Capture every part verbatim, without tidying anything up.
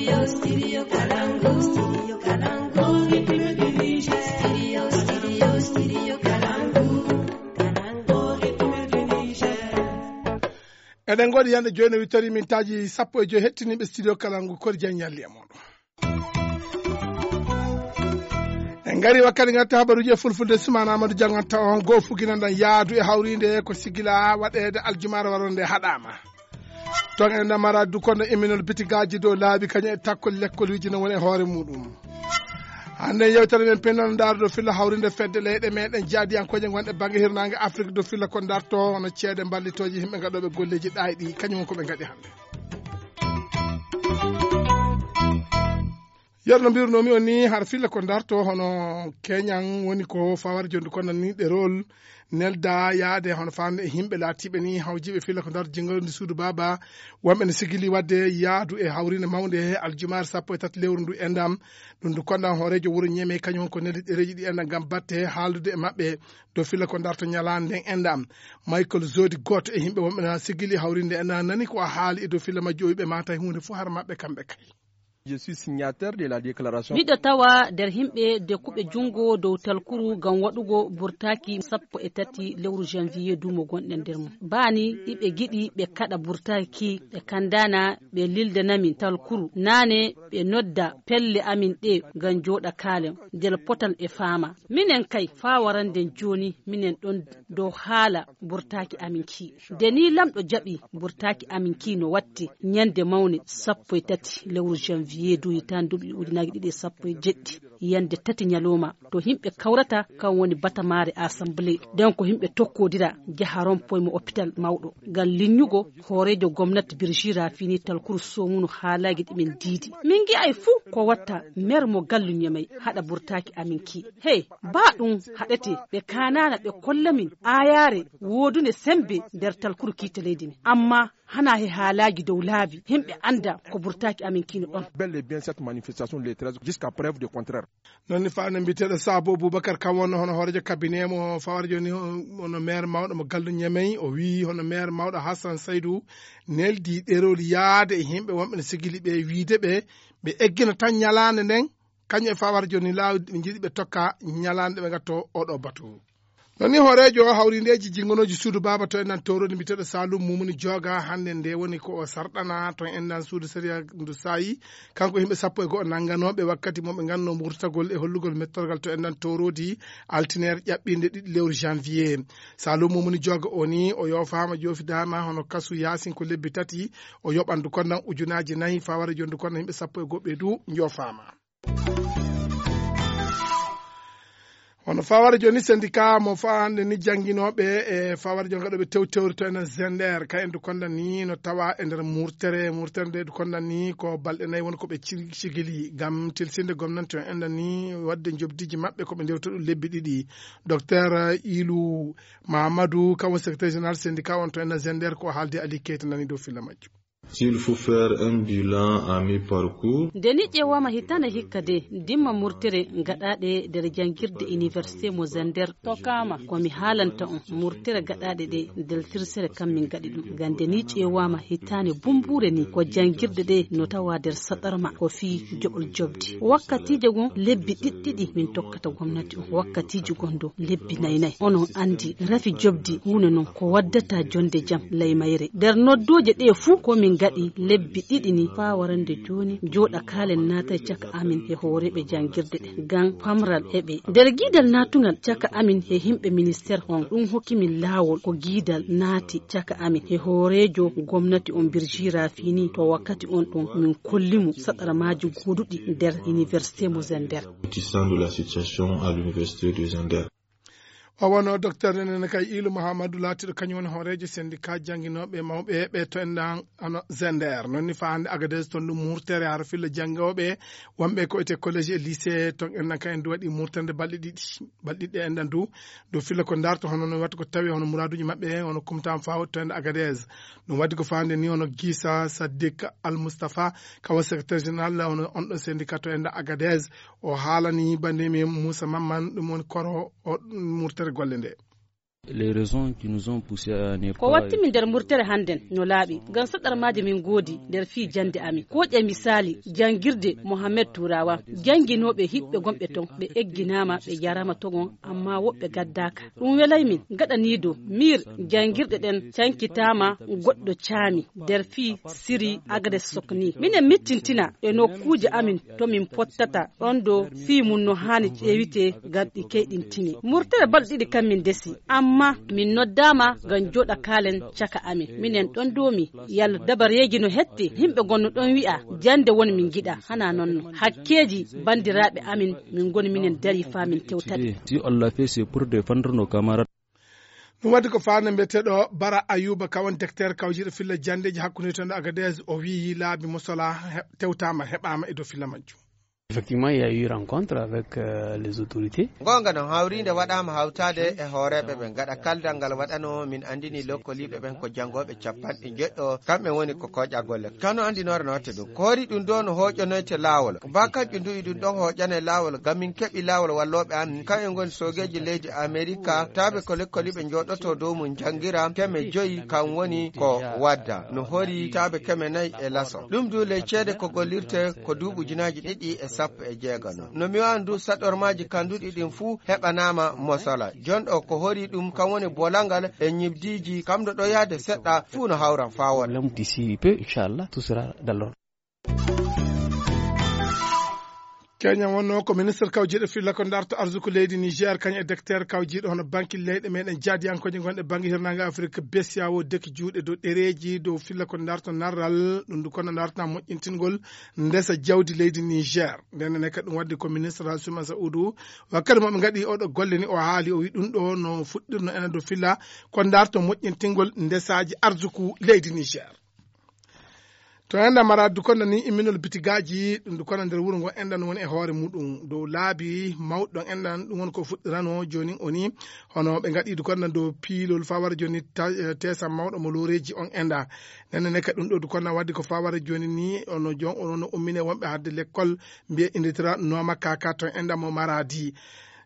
Studio, studio Kalangu, studio Kalangu. Studio, studio, studio Kalangu, Kalangu. Eɗen goɗi yande joni wittori min taji sappo e joyi hettiniɓe studio Kalangu kodi jaññalli e moɗon. En gari wakkati gatta habaruji e fulfulde Soumana Amadou Dianganta on go fuginanɗan yaadu e hawride ko sigila waɗede aljumara waronde haɗama. Ton en namara du kono eminol bitigaji dow laabi kañum e takkol lekkol wijino woni e hoore muɗum. Hande yewtere men pennon dardo filla hawrinde fedde leyɗe meɗen jaadiyankoje gonɗe banggue hirnangue Afrique do filla ko darto hono ceede ballitoji himɓe gaɗoɓe golleji ɗayɗi kañum ko ɓe gaɗi hande. yerno mbirnomi o ni har filla ko darto hono keñan woni ko fawar jondu kono ni ɗerol nelda yaade hono fande e himɓe laatiɓe ni hawjiɓe filla ko darto jingolde suudu baba wonɓe ne sigili wadde yaadu e hawrinde mawde he aljumar sappo e tati lewru ndu endam ɗum ndu konɗan hoorejo wuuro ñeme kañum ko neldi ɗereji ɗi endam gam batte haaldude e maɓɓe do filla ko darto ñalande nden endam Michael Zodi goto e himɓe wonɓe na sigili hawrinde endam nani ko a haali e do filla majjo wiɓe mata hunde fo har maɓɓe kamɓe kay. Je suis signataire de la déclaration. Miɗo tawa nder himɓe de kuɓe jungo dow talkuru gam waɗugo burtaki sappo e tati lewru janvier dumo gonɗen nder mum. Bani ɗiɓe giɗi ɓe kaɗa burtaki ɓe kandana ɓe lildanamin talkuru nane ɓe nodda pelle amin ɗe gam joɗa kalen nder potal e fama. Minen kay fa waranden joni minen ɗon dow haala burtaki amin ki. Deni lamɗo jaɓi burtaki amin ki no watti ñande mawne sappo e tati lewru janvier yeeduyi tan duuɓi ujunaaje ɗiɗi e sappo e jeɗɗi yande tati ñalowma to himɓe kawrata kan woni batamare assemblée den ko himɓe tokkodira jaha rompoye mo hôpital mawɗo ngam linñugo hoorejo gomnati Birji Rafini talkuru somunu haalaji ɗimen diidi min gi ay fuu ko watta mer mo galluñamay haɗa burtaki amin ki hey ba ɗum haɗete ɓe kanana ɓe kollamin ayare wodune sembe nder talkuru kiite leydi men amma hana he haalaji dow laabi himɓe anda ko burtaki amin kino ɗon. Bel et bien cette manifestation le treize jusqu'à preuve de contraire. Nonni faane mbiteɗo Sabo Boubacar kam wonno hono hoorejo cabinet mo fawar joni hono maire mawɗo mo Gallu Ñamey o wi hono maire mawɗo Hassan Saydou neldi ɗerol yaade e himɓe wonɓe ne sigili ɓe wiide ɓe ɓe eggina tan ñalande nden kañum e fawar joni lawdi ɓe jiiɗi ɓe tokka ñalande ɓe gatto oɗo batu. Nonni hoorejo hawrindeji jingonoji suudu baba to endan torodi mbiteɗo Salum Mumuni joga hande nde woni ko o sarɗana to endan suudu séria ndu sayi kanko himɓe sappo e go'o nangganoɓe wakkati moɓe ganno murtagol e hollugol mettorgal to endan torodi altinaire ƴaɓɓinde ɗiɗi lewru janvier. Salum Mumuni joga o ni o yofama jofidama hono kasu yasin ko lebbi tati o yoɓandu kondan ujunaji nayyi fawara jondu kondan himɓe sappo e goɓɓe du jofama. Hono fawara joni syndicat mo fande ni janginoɓe e fawara joni gaɗoɓe tew tewri to enen Zender ka en du kondan ni no tawa e nder murtere murtere nde du kondan ni ko balɗe nayyi woni koɓe cigili gam tilsinde gomnati o endan ni wadde jobdiji maɓɓe koɓe ndewta ɗum lebbi ɗiɗi. Docteur Ilou Mahamadou kamo secrétaire général syndicat on to enen Zender ko haalde Ali Keita nani dow filla majjo. S'il faut faire un bilan à mi-parcours. Deni ƴewama hitande hikka de dimma murtere gaɗaɗe nder jangirde université mo Zender tokama komi haalanta on murtere gaɗaɗe ɗe nder tirsere kam min gaɗi ɗum ngam deni ƴewama hitande bumbure ni ko jangirde ɗe no tawa nder saɗarma ko fi joɓol jobdi wakkatije gon lebbi ɗiɗɗiɗi min tokkata gomnati on wakkatiji gondo lebbi naynayi onon andi rafi jobdi hunde non ko waddata jonde jam laymayre nder noddoje ɗe fuu komin gaɗi lebbi ɗiɗi ni fa warande joni joɗa kalen nata caka amin e hooreɓe jangirde ɗe gan pamral heɓe nder guidal natugal caka amin e himɓe ministére on ɗum hokkimin lawol ko guidal naati caka amin e hoorejo gomnati on Birji Rafini to wakkati on ɗon min kollimu saɗaramaji goduɗi nder université mo Zender. De la situation à l'université de Zender. O wono docteur nene kay Ilou Mahamadou laatiɗo kañum woni hoorejo syndicat jangguinoɓe mawɓe ɓe to endan ano Zender nonni fande Agadez ton ɗum murtere har filla jangoɓe wonɓe ko ete collège et lycée ton endan kay en du waɗi murterde balɗe ɗiɗi balɗe ɗiɗi endan du do filla ko darto hono no watta ko tawi hono muraduji maɓɓe hono kumtam faw to endan Agadez ɗum waddi ko fande ni hono Gissa Sadik Al Moustapha kawo secrétaire général hono on ɗo syndicat to endan Agadez o haalani bandimi Moussa Mamman ɗum woni koro o murtere golle nde. les raisons qui nous ont poussé à ne ko watti min der murtere handen no laabi gan sadar maade min godi der fi jande ami ko je misali jangirde Mohammed Turawa janginobe hibbe gombe ton be egginama be jarama togon amma wobbe gaddaka dum welay min gada nido mir jangirde den cankitama goddo caami der fi siri agade sokni minen mittintina e no kuje amin to min pottata ondo fi mun no hani ewite gaddi keydin tini murtere baldidi kam min desi amma min noddama gan joda kalen caka amin minen don domi yal dabar yegi no hetti himbe gonno don wi'a jande woni min gida hana nonno hakkeji bandirabe amin min goni minen dari famin tewtade si on l'a fait c'est pour défendre nos camarades. ɗum wadde ko fane mbiyeteɗo Bara Ayuba kawan docteur kawjiɗo filla jandeji hakkude ton Agadez o wi laabi mosola tewtama heɓama e dow filla majjum. Effectivement, il y a eu rencontre avec euh, les autorités. Gonga no hawrinde waɗama hawtade e hooreɓe ɓe gaɗa kaldal ngal waɗano min andini lokkoliɓe ɓen ko jangoɓe capanɗe jeɗɗo kamɓe woni ko koƴa golle kano andinore no watte ɗum koori ɗum ɗo no hoƴanoyte laawol ba kanƴum duyi ɗum ɗon hoƴane laawol gam min keeɓi laawol walloɓe an kamɓe goni sogeji leydi America taɓe ko lekkoliɓe joɗoto dow mum jangira keme joyi kam woni ko wadda no hori taɓe keme nayyi e laso ɗum du ley ceede ko gollirte ko duuɓi ujunaji ɗiɗi e sappo e jeegano no mi wandu saɗormaji kanduɗi ɗin fuu heɓanama mosala jonɗo ko hori ɗum kam woni bolangal e ñibdiji kamɗo ɗo yaade seɗɗa fuu no hawran fawon D'ici peu, Inch'Allah, tout sera dans l'ordre. Kenya wonno ko ministre kawjiɗo filla ko darto arsuku leydi Niger kañ e docteur kawjiɗo hono banque leyɗe meɗen jaadiyankoje gonɗe banque hirnage Afrique besiyawo deki juuɗe dow ɗereji dow filla ko darto narral ɗum du kono darta moƴƴintingol ndesa jawdi leydi Niger nden ne kadi ɗum wadde ko ministre Hassouma Saoudou wakkati moɓe gaɗi oɗo golle ni o haali o wi ɗum ɗo no fuɗɗirno enen dow filla ko darto moƴƴintingol ndesaji arsuku leydi Niger. To enda mara dukonda ni imminol bitigaji ɗum dukonda nder wuro ngo endan woni e hoore muɗum dow laabi mawɗon endan ɗum woni ko fuɗɗirano joni oni hono ɓe gaɗi dukonda dow piilol fawara joni tesam mawɗo mo loreji on enda nenne ne kadi ɗum ɗo dukonda wadde ko fawara joni ni ono jon ono ummine wonɓe hadde l'école mbiye inditira noma kaka to enda mo maradi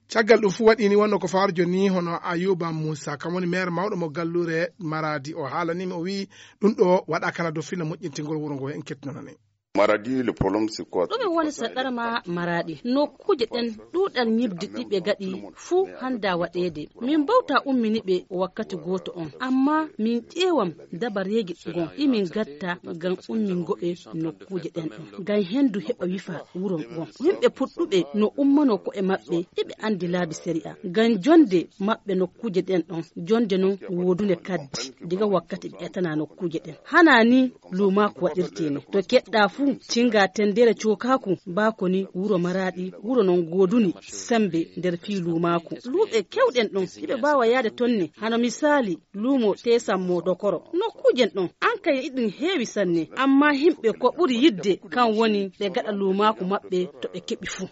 caggal ɗum fu waɗini wonno ko fawar joni hono Ayuba Moussa kam woni maire mawɗo mo gallure maradi o haalanimi o wi ɗum ɗo waɗa kana dow filla moƴƴintingol wuro ngo en kettinonani Maradi le problème c'est quoi? ɗume woni saɗɗarma maradi nokkuje ɗen ɗuɗal ñibdi ɗiɓe gaɗi fuu handa waɗede min bawta umminiɓe wakkati goto on amma min ƴeewam dabareji gon imin gatta gam ummin goɓe nokkuje ɗen ɗon gam hendu heɓa wifa wuro gon yimɓe puɗɗuɓe no ummano ko e maɓɓe iɓe andi laabi séria gam jonde maɓɓe nokkuje ɗen ɗon jonde non wodune kaddi diga wakkati ɓe etana nokkuje ɗen hanani luma ko waɗirteni to keɗɗa fuu cinga tendere cokaku bakoni wuro maradi wuro non goduni sembe nder fi lumaku luɓe kewɗen ɗon iɓe bawa yaade tonne hano misali lumo tesammo dokoro nokkujen ɗon an kay iɗin heewi sanne amma himɓe ko ɓuri yidde kan woni ɓe gaɗa lumaku maɓɓe to ɓe keɓi fuu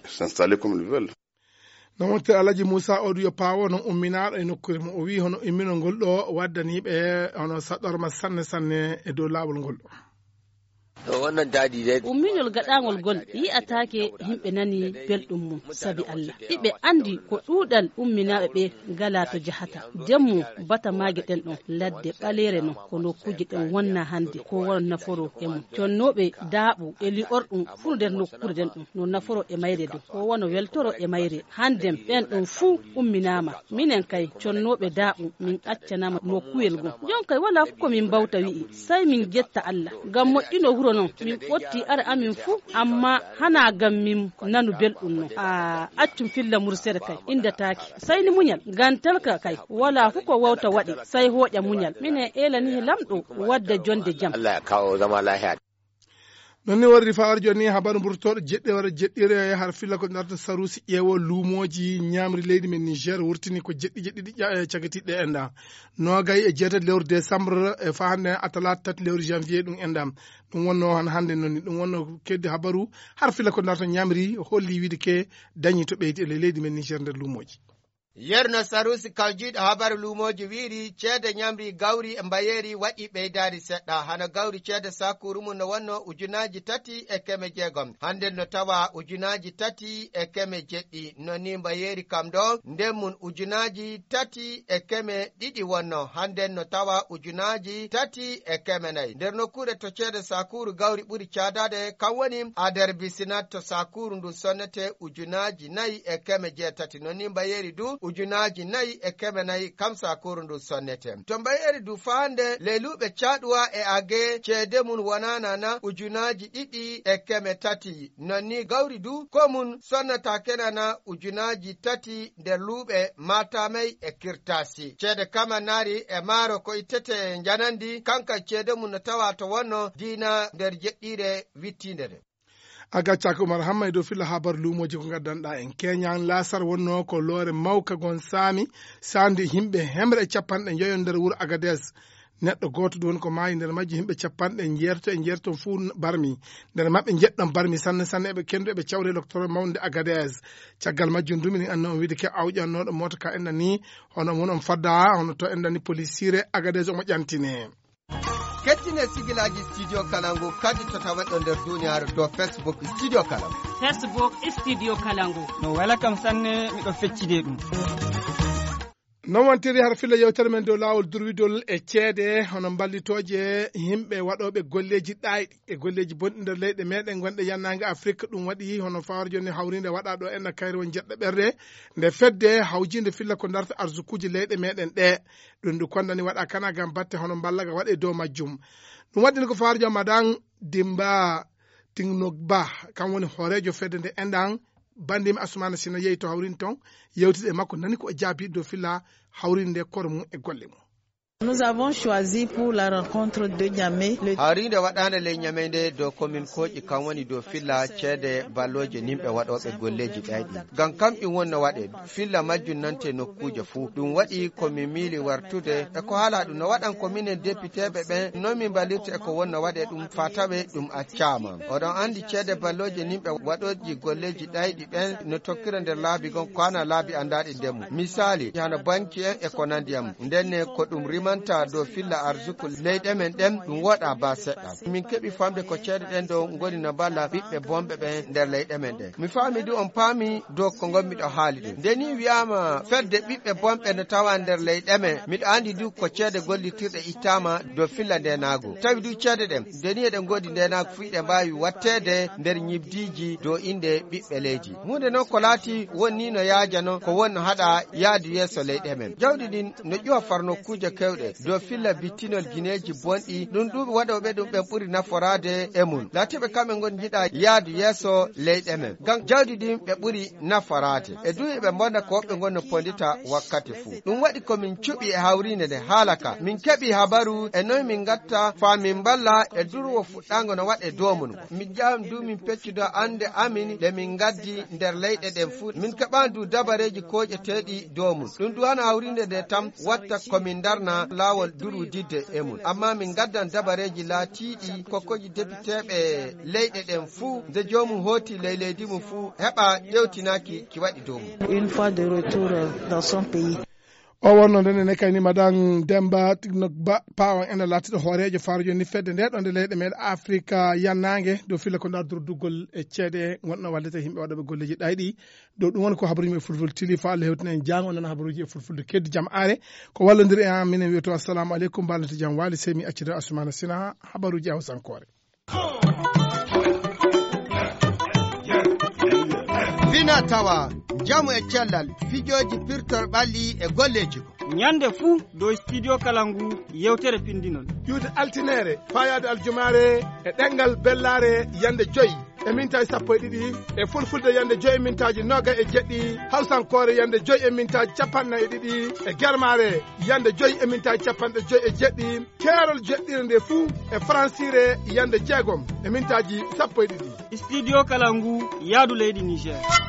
non wonte Alaji Moussa oɗo yo pawo non umminaɗo e nokkure mo o wi hono imminol ngol ɗo waddaniɓe hono saɗorma sanne sanne e dow lawol ngol ɗo wannan dadi dai umminol gaɗangol gol yi'atake himɓe nani belɗum mum sabi Allah iɓe andi ko ɗuɗal umminaɓe ɓe gala to jahata demmu bata mage ɗen ɗon ladde ɓalere non ko nokkuje ɗen wonna hande ko won naforo e mum connoɓe daaɓu e li'orɗum fuu nder nokkure ɗen ɗon no naforo e mayre do ko wona weltoro e mayre handem ɓen ɗon fuu umminama minen kay connoɓe daaɓu min accanama nokkuyel go jon kay wala fu ko min bawta wi'i sai min jetta Allah gam moƴƴino wuro non min ɓotti ara amin fuu amma hana gam min nanu belɗum non a accum filla mursere kay indataki sai ni muñal gantalka kay wala fu ko wawta waɗi sai hoƴa muñal mine elani lamɗo wadda jonde jam Allah ya kawo zama lahiya non ni warri fawar joni habaru burtoɗo jeɗɗe wara jeɗɗire har filla ko darta sarusi ƴeewo luumoji ñamri leydi men Niger wurtini ko jeɗɗi jeɗɗi ɗi cagatiɗɗe enda nogay e jeetati lewru décembre e fa hande atalat tati lewru janvier ɗum endam ɗum wonno han hande nonni ɗum wonno keddi habaru har filla ko darta ñamri holli wiide ke dañi to ɓeydi e leydi men Niger nder luumoji yerno sarusi kawjiɗo habaru lumoji wiiri ceede nyamri gawri e mbayeri waɗi ɓeydari seɗɗa hana gawri ceede sakuru mum no wonno ujunaji tati e keme jeegom hande no tawa ujunaji tati e keme jeɗɗi noni mbayeri kam ɗo nden mum ujunaji tati e keme ɗiɗi wonno hande no tawa ujunaji tati e keme nayi nder nokkure to ceede sakuru gawri ɓuri cadade kam woni ader bisinat to sakuru ndu sonnete ujunaji nayi e keme jeetati noni mbayeri du ujunaji nayi e keme nayi kam sakuru ndu sonnete to mbayeri du fande leluɓe caɗuwa e age ceede mum wonanana ujunaji ɗiɗi e keme tati nonni gawri du ko mum sonnata kenana ujunaji tati nder luuɓe matamay e kirtasi ceede kamanari e maaro ko ittete janandi kanka ceede mum no tawa to wonno diina nder jeɗɗire wittindere a gaccaka Oumar Hamma dow filla habaru lumoji ko gaddanɗa en keñan lasar wonno ko loore mawka gon saami sandi himɓe hemre e capanɗe joyo nder wuuro Agadez neɗɗo goto ɗon ko maayi nder majji himɓe capanɗe jeerto e jeerto fuu barmi nder maɓɓe jeɗɗon barmi sanne sanne eɓe kendo eɓe cawre docteur mawde Agadez caggal majjum dumini anno on wiide ke awƴannoɗo mota ka enna ni hono mun on fadda hono to enna ni police sire Agadez omo ƴantine kettine sigilaji studio kalangu kadi to tawaɗo nder duniyaaru dow Facebook studio kalangu Facebook studio kalangu no wala kam sanne miɗo feccide ɗum non wontiri har filla yewtere men dow laawol durwidol e ceede hono ballitoje yimɓe waɗoɓe golleji ɗayɗi e golleji bonɗi nder leyɗe meɗen gonɗe yannage Afrique ɗum waɗi hono fawar joni hawrinde waɗa ɗo enna kayre won jeɗɗo ɓerde nde fedde hawjinde filla ko darta arsukuji leyɗe meɗen ɗe ɗum ndu kondani waɗa kana gam batte hono ballaga waɗe dow majjum ɗum waɗini ko fawar jom madan Dimba Tingnog Ba kam woni horejo fedde nde enɗan bandimi Asumana Sina yeyi to hawrin ton yewtide makko nani ko jaabi do filla hawrinde koro mum e golle mum. Nous avons choisi pour la rencontre de Niamey le hawrinde waɗande le Niamey nde dow commune Koƴi kam woni dow filla ceede balloje nimɓe waɗoɓe golleji ɗayɗi ngam kamɓe wonno waɗe filla majjum nante nokkuje fuu ɗum waɗi komin miili wartude e ko haala ɗum no waɗan commune députéɓe ɓen non min ballirta e ko wonno waɗe ɗum fatawe ɗum accama oɗon andi ceede balloje nimɓe waɗoji golleji ɗayɗi ɓen no tokkira nder laabi gon ko hana laabi andaɗi ndemu misali hano banque en e ko nandiyam ndenne ko ɗum rima manta do filla arzuku leyɗe men ɗen ɗum woɗa ba seɗɗa min keɓi famde ko ceede ɗen dow ngoni no balla ɓiɓɓe bomɓe ɓen nder leyɗe men ɗen mi faami du on paami dow ko gonmiɗo haali ɗum nde ni wiyama fedde ɓiɓɓe bomɓe no tawa nder leyɗe men miɗo andi du ko ceede gollitirɗe ittama dow filla ndenago tawi du ceede ɗen nde ni eɗen godi ndenago fu ɗe mbawi wattede nder ñibdiji dow inde ɓiɓɓe leydi hunde noon ko laati wonni no yaajano ko wonno haɗa yaadu yeeso leyɗe men jawɗi ɗin no ƴuwa farnokkuje kewɗe do filla bittinol gineji bonɗi ɗum ɗuɓe waɗoɓe ɗum ɓe ɓuri naforade e mum latiɓe kamɓe gon jiɗa yaadu yeeso leyɗe men ngam jawdi ɗin ɓe ɓuri naforade e duyi ɓe bonda ko woɓɓe gonno pondita wakkati fuu ɗum waɗi komin cuɓi e hawrinde nde haalaka min keɓi habaru e noy min gatta famin balla e durwo fuɗɗango no waɗe dow mum min jam du min peccudo ande amin ɗe min gaddi nder leyɗe ɗen fuu min keɓan du dabareji koƴeteɗi dow mum ɗum du hana hawrinde nde tam watta komin darna lawol duru didde e mum amma min gaddan dabareji laatiɗi kokkoji députéɓe leyɗe ɗen fuu nde jomum hooti ley leydi mum fuu heɓa ƴewtinaki ki waɗi dow mum une fois de retour dans son pays. O wonno nden ne kayni madan Demba Tignog Ba pawan ene latiɗo hoorejo faarujo ni fedde nde ɗon nde leyɗe meɗen Afrique yannangue dow filla ko dardur duggol e ceede gonɗo wallete yimɓe waɗoɓe golleji ɗayɗi dow ɗum woni ko habaruji e fulfulde tili fa Allah hewtina en jango nan habaruji e fulfulde keddi jaam are ko wallodiri e an minen wiyoto assalamu aleykum ballata jaam waali sey mi accida Asumana Sina habaruji hawsankore fina tawa jamu e cellal fijoji pirtol ɓalli e golleji ko nyande fuu dow studio kalangu yewtere pindinol yude altinere fayade aljumare e ɗengal bellare yande joyyi e mintaji sappo e ɗiɗi e fulfulde yande joyi e mintaji noga e jeɗɗi hawsankore yande joyi e mintaji capannayyi e ɗiɗi e germare yande joyi e mintaji capanɗe joyi e jeɗɗi keerol jeɗɗire nde fuu e francire yande jeegom e mintaji sappo e ɗiɗi studio kalangu yaadu leydi Niger